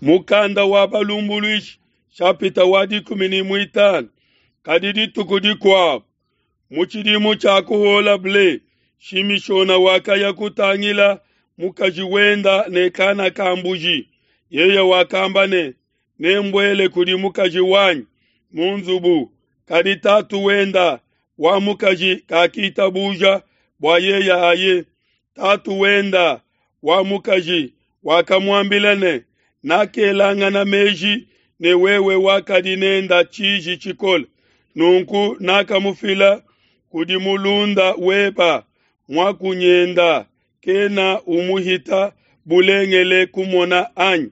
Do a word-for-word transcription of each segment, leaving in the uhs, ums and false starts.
Mukanda wa Balumbuluishi shapita wa dikumi ne muitanu. Kadi dituku dikuabu mu tshidimu tshia kuhuola ble, Shimishona wakaya kutangila mukaji wenda ne kana ka mbuji. Yeye wakamba ne, nembuele kudi mukaji wanyi mu nzubu. Kadi tatu wenda wa mukaji kakitabuja bua yeye aye. Tatu wenda wa mukaji wakamuambila ne, nakelangana meji ne wewe wakadi nenda tshiji tshikole, nunku nakamufila kudi mulunda weba muakunyenda, kena umuhita bulengele kumona anyi?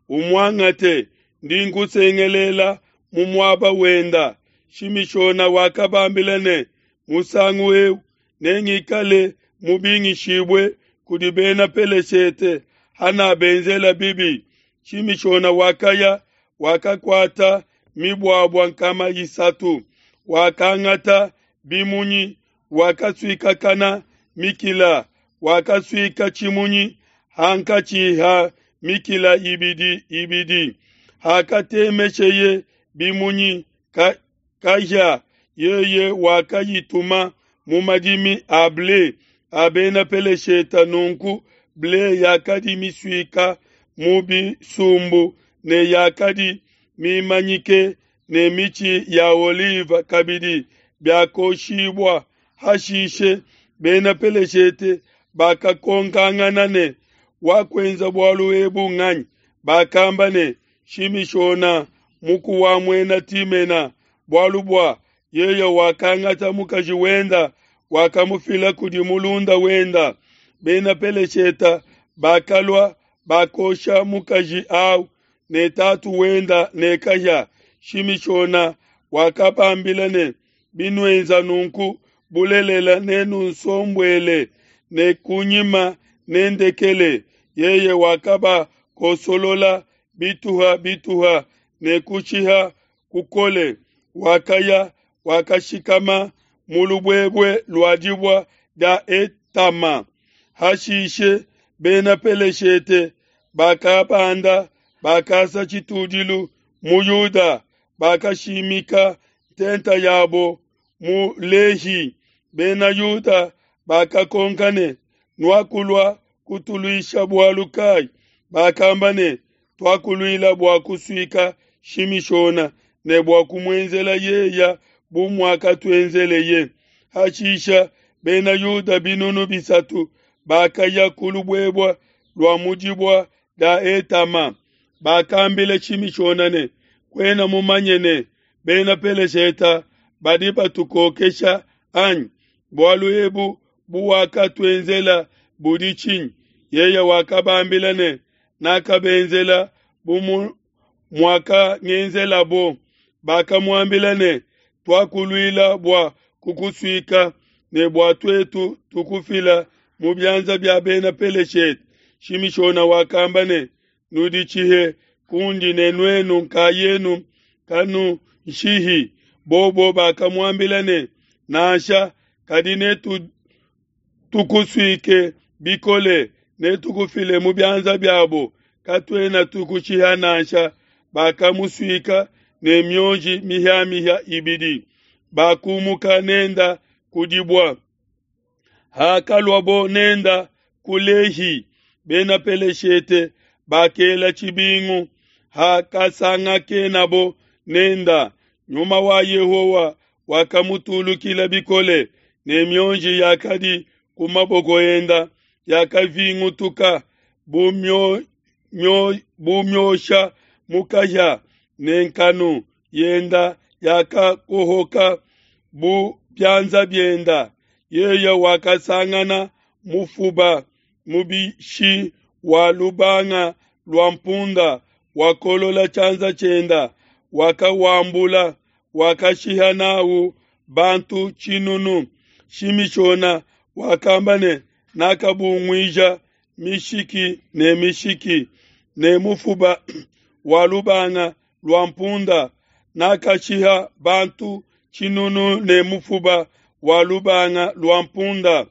Umuangate, ndi nkusengelela mu muaba wenda. Shimishona wakabambila ne, musangu eu nengikale mubingishibue kudi bena Peleshete hanabenzela bibi. Shimishona wakaya, wakakuata mibuabua nkama isatu, wakangata bimunyi, wakasuikakana mikila, wakasuika tshimunyi hankatshi ha mikila ibidi ibidi. Hakatemesheye bimunyi ka, kahia, yeye wakayituma mu madimi a ble a bena Peleshete. Nunku ble yakadi misuika mu bisumbu ne yakadi mimanyike ne mitshi ya olive kabidi biakoshibua. Hashishe bena Peleshete bakakonkangana ne, wakuenza bualu ebu nganyi? Bakamba ne, Shimishona muku wa muena Timena, bualu bua yeye wakangata mukaji wenda, wakamufila kudi mulunda wenda. Bena Peleshete bakalua, bakosha mukaji au ne tatu wenda ne kahia. Shimishona wakabambila ne, binuenza nunku bulelela nenunsombuele, ne kunyima nendekele. Yeye wakabakosolola bituha bituha ne kushiha kukole. Wakaya, wakashikama mu lubuebue lua dibua dia Etama. Hashishe bena Peleshete bakabanda, bakasa tshitudilu mu Yuda, bakashimika ntenta yabo mu Lehi. Bena Yuda bakakonka ne, nuakulua kutuluisha bualu kai? Bakamba ne, tuakuluila bua kusuika Shimishona ne bua kumuenzela yeya bu muakatuenzeleye. Hashisha bena Yuda binunu bisatu bakaya ku lubuebue lua mu dibua dia Etama. Bakambila Shimishona ne, kuena mumanye ne bena Peleshete badi batukokesha anyi? Bualu ebu buwakatuenzela budi tshinyi? Yeye wakabambila ne, nakabenzela bu muakangenzelabo. Bakamuambila ne, tuakuluila bua kukusuika ne bua tuetu tukufila mu bianza bia bena Peleshete. Shimishona wakamba ne, nuditshihe kundi ne nuenu nkayenu kanunshihi. Bobo bakamuambila ne, nansha, kadi netu tukusuike bikole, netukufile mu bianza biabo, katuena tukushiha nansha. Bakamusuika ne mionji mihiamihia ibidi, bakumuka nenda kudibua. Hakaluabo nenda ku Lehi, bena Peleshete bakela tshibingu. Hakasangakenabo nenda, nyuma wa Yehowa wakamutulukila bikole, ne mionji yakadi ku maboko enda yakavingutuka bu mio, mio, bu miosha mu kahia, ne nkanu yenda yakakohoka bu bianza bienda. Yeye wakasangana mufuba mubishi wa lubanga lua mpunda, wakolola tshianza tshienda, wakawambula, wakashiha nawu bantu tshinunu. Shimishona wakamba ne, nakabunguija mishiki ne mishiki ne mufuba wa lubanga lua mpunda, nakashiha bantu tshinunu ne mufuba wa lubanga lua mpunda.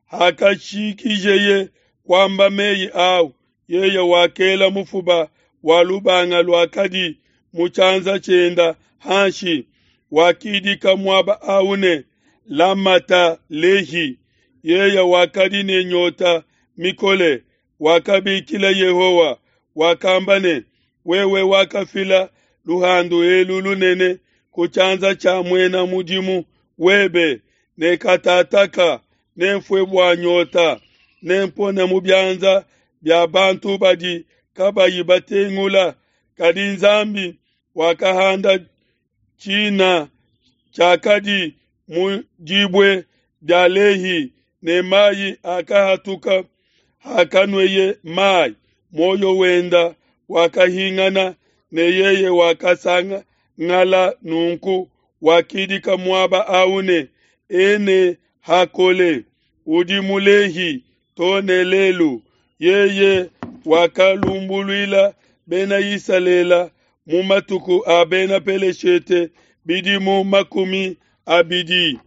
Hakashikijeye kwamba meyi au, yeye wakela mufuba wa lubanga luakadi mu tshianza tshienda hanshi. Wakidika muaba au ne, Lamata Lehi. Yeye wakadi ne nyota mikole, wakabikila Yehowa, wakamba ne, wewe wakafila luhandu elu lunene ku tshianza tshia muena mudimu webe, ne katataka nenfue bua nyota, nempone mu bianza bia bantu badi kabayi batengula. Kadi Nzambi wakahanda tshina tshiakadi mu dibue dia Lehi, ne mayi akahatuka. Hakanueye mayi, muoyo wenda wakahingana, ne yeye wakasangala. Nunku wakidika muaba au ne, Ene Hakole, udi mu Lehi to ne lelu. Yeye wakalumbuluila Bena Isalele mu matuku a Bena Peleshete bidimu makumi abidi.